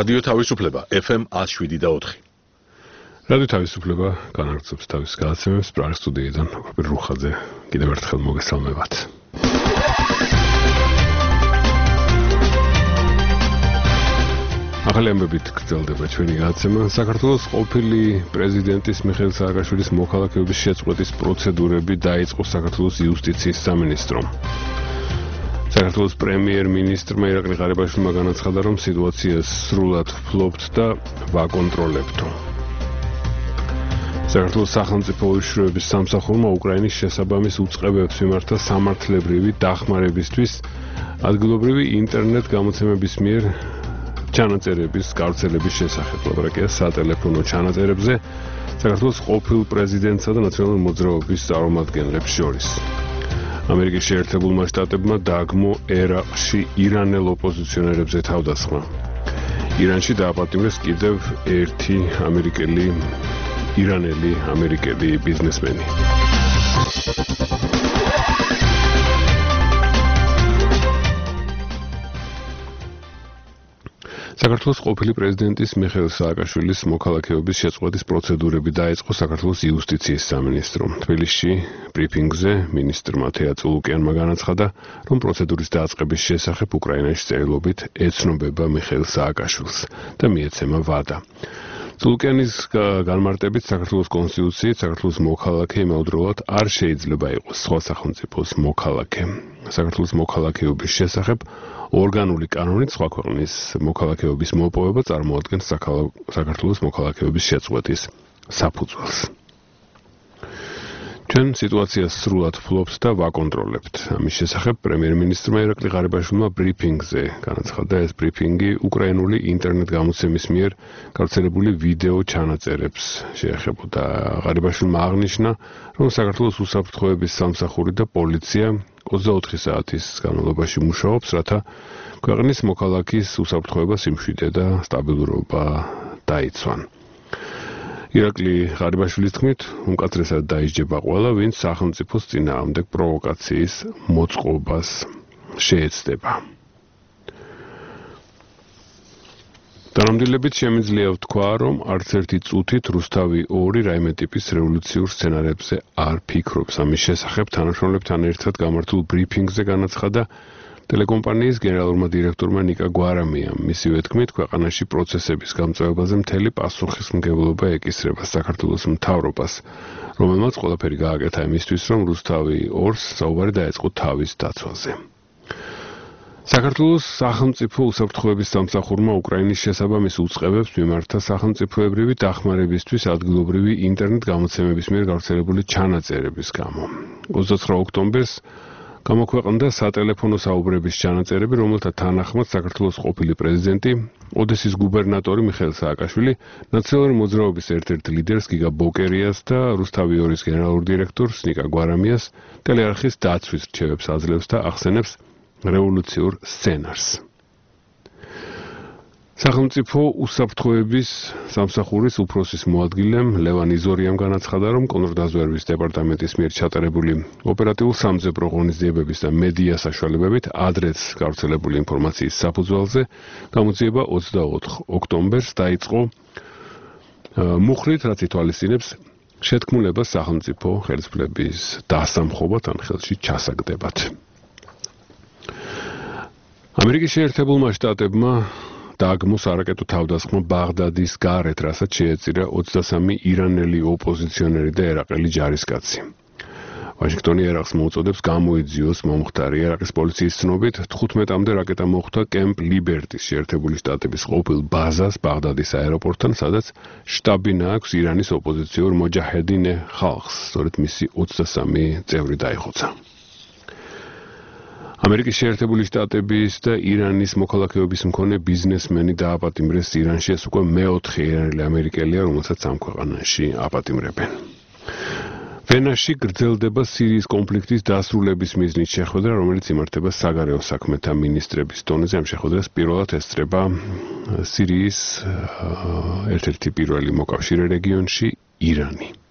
რადიო თავისუფლება FM 107.4. რადიო თავისუფლება განაგრძობს თავის გადაცემებს პრაღის სტუდიიდან ოქროპირ რუხაძე კიდევ ერთხელ მოგესალმებათ. ახალი ამბებით გრძელდება ჩვენი გადაცემა. საქართველოს ყოფილი პრეზიდენტის მიხეილ სააკაშვილის მოქალაქეობის შეწყვეტის პროცედურები დაიწყო საქართველოს იუსტიციის სამინისტრომ. საქართველოს პრემიერ-მინისტრმა ირაკლი ღარიბაშვილმა განაცხადა, რომ სიტუაციას სრულად ფლობთ და ვაკონტროლებთო. საქართველოს სახელმწიფო უშიშროების სამსახურმა უკრაინის შესაბამის უწყებებს მიმართა სამართლებრივი დახმარებისთვის ადგილობრივი ინტერნეტ გამოცემების მიერ ჩანაწერების გავრცელების შესახებ ლაპარაკია სატელეფონო ჩანაწერებზე საქართველოს ყოფილ პრეზიდენტსა და ნაციონალური მოძრაობის წარმომადგენლებს შორის. ამერიკის შეერთებულმა შტატებმა დააგმო ერაყში ირანელ ოპოზიციონერებზე თავდასხმა. ირანში დააპატიმრეს კიდევ ერთი ირანელი ამერიკელი ბიზნესმენი. საქართველოს ყოფილი პრეზიდენტის მიხეილ სააკაშვილის მოქალაქეობის შეწყვეტის პროცედურები დაიწყო საქართველოს იუსტიციის სამინისტრომ. თბილისში ბრიფინგზე მინისტრმა თეა წულუკიანმა განაცხადა, რომ პროცედურის დაწყების შესახებ უკრაინაში წერილობით ეცნობება მიხეილ სააკაშვილს და მიეცემა ვადა. წულუკიანის განმარტებით საქართველოს კონსტიტუციით საქართველოს მოქალაქე იმავდროულად არ შეიძლება იყოს სხვა სახელმწიფოს მოქალაქე. საქართველოს მოქალაქეობის შესახებ ორგანული კანონით სხვა ქვეყნის მოქალაქეობის მოპოვება წარმოადგენს საქართველოს მოქალაქეობის შეწყვეტის საფუძველს. ჩვენ სიტუაციას სრულად ფლობთ და ვაკონტროლებთ. ამის შესახებ პრემიერ-მინისტრმა ირაკლი ღარიბაშვილმა ბრიფინგზე განაცხადა, ეს ბრიფინგი უკრაინული ინტერნეტ გამოცემის მიერ გავრცელებული ვიდეო ჩანაწერებს შეეხებოდა. ღარიბაშვილმა აღნიშნა, რომ საქართველოს უსაფრთხოების სამსახური და პოლიცია 24 საათის განმავლობაში მუშაობს, რათა ქვეყნის მოქალაქის უსაფრთხოება, სიმშვიდე და სტაბილურობა დაიცვან. ირაკლი ღარიბაშვილის თქმით, უმკაცრესად დაისჯება ყველა, ვინც სახელმწიფოს წინააღმდეგ პროვოკაციის მოწყობას შეეცდება. თანამდებობით შემიძლია ვთქვა, რომ არც ერთი წუთით რუსთავი 2 რაიმე ტიპის რევოლუციურ სცენარებზე არ ფიქრობს. ამის შესახებ თანამშრომლებთან ერთად გამართულ ბრიფინგზე განაცხადა ტელეკომპანიის გენერალურმა დირექტორმა ნიკა გვარამიამ. მისივე თქმით, ქვეყანაში პროცესების გამწევებაზე მთელი პასუხისმგებლობა ეკისრება საქართველოს მთავრობას, რომელმაც ყველაფერი გააკეთა იმისთვის, რომ რუსთავი 2-ს საუბარი დაეწყო თავის დაცვაზე. საქართველოს სახელმწიფო უსაფრთხოების სამსახურმა უკრაინის შესაბამის უწყებებს მიმართა სახელმწიფოებრივი დახმარებისთვის ადგილობრივი ინტერნეტ გამოცემების მიერ გავრცელებული ჩანაწერების გამო. 29 ოქტომბერს გამოქვეყნდა სატელეფონო საუბრების ჩანაწერები, რომელთა თანახმად საქართველოს ყოფილი პრეზიდენტი, ოდესის გუბერნატორი მიხეილ სააკაშვილი, ნაციონალური მოძრაობის ერთ-ერთ ლიდერს გიგა ბოკერიას და რუსთავი 2-ის გენერალურ დირექტორს ნიკა გვარამიას ტელეარხის დაცვის რჩევებს აძლევს და ახსენებს რევოლუციურ სცენარს. სახელმწიფო უსაფრთხოების სამსახურის უფროსის მოადგილემ ლევან იზორიამ განაცხადა, რომ კონტრდაზვერვის დეპარტამენტის მიერ ჩატარებული ოპერატიულ-სამძებრო ღონისძიებების და მედია საშუალებებით ადრეც გავრცელებული ინფორმაციის საფუძველზე გამოძიება 24 ოქტომბერს დაიწყო მუხრით, რაც ითვალისწინებს შეთქმულებას სახელმწიფო ხელისუფლების დასამხობად ან ხელში ჩასაგდებად. ამერიკის შეერთებულმა შტატებმა დააგმო სარაკეტო თავდასხმა ბაღდადის გარეთ, რასაც შეეწირა 23 ირანელი ოპოზიციონერი და ერაყელი ჯარისკაცი. ვაშინგტონი ერაყს მოუწოდებს გამოიძიოს მომხდარი. ერაყის პოლიციის ცნობით 15-მდე რაკეტა მოხვდა კემპ ლიბერტის შეერთებული შტატების ყოფილ ბაზას ბაღდადის აეროპორტთან, სადაც შტაბი აქვს ირანის ოპოზიციურ მოჯაჰედინე ხალხს, სწორედ მისი 23 წევრი დაიხოცა. ამერიკის შეერთებული შტატების და ირანის მოქალაქეობის მქონე ბიზნესმენი დააპატიმრეს ირანში. ეს უკვე მეოთხე ირანელი ამერიკელია, რომელსაც ამ ქვეყანაში აპატიმრებენ. ვენაში გრძელდება სირიის კონფლიქტის დასრულების მიზნით შეხვედრა, რომელიც იმართება საგარეო საქმეთა მინისტრების დონეზე. ამ შეხვედრას პირველად ესწრება სირიის ერთ-ერთი პირველი მოკავშირე რეგიონში ირანი.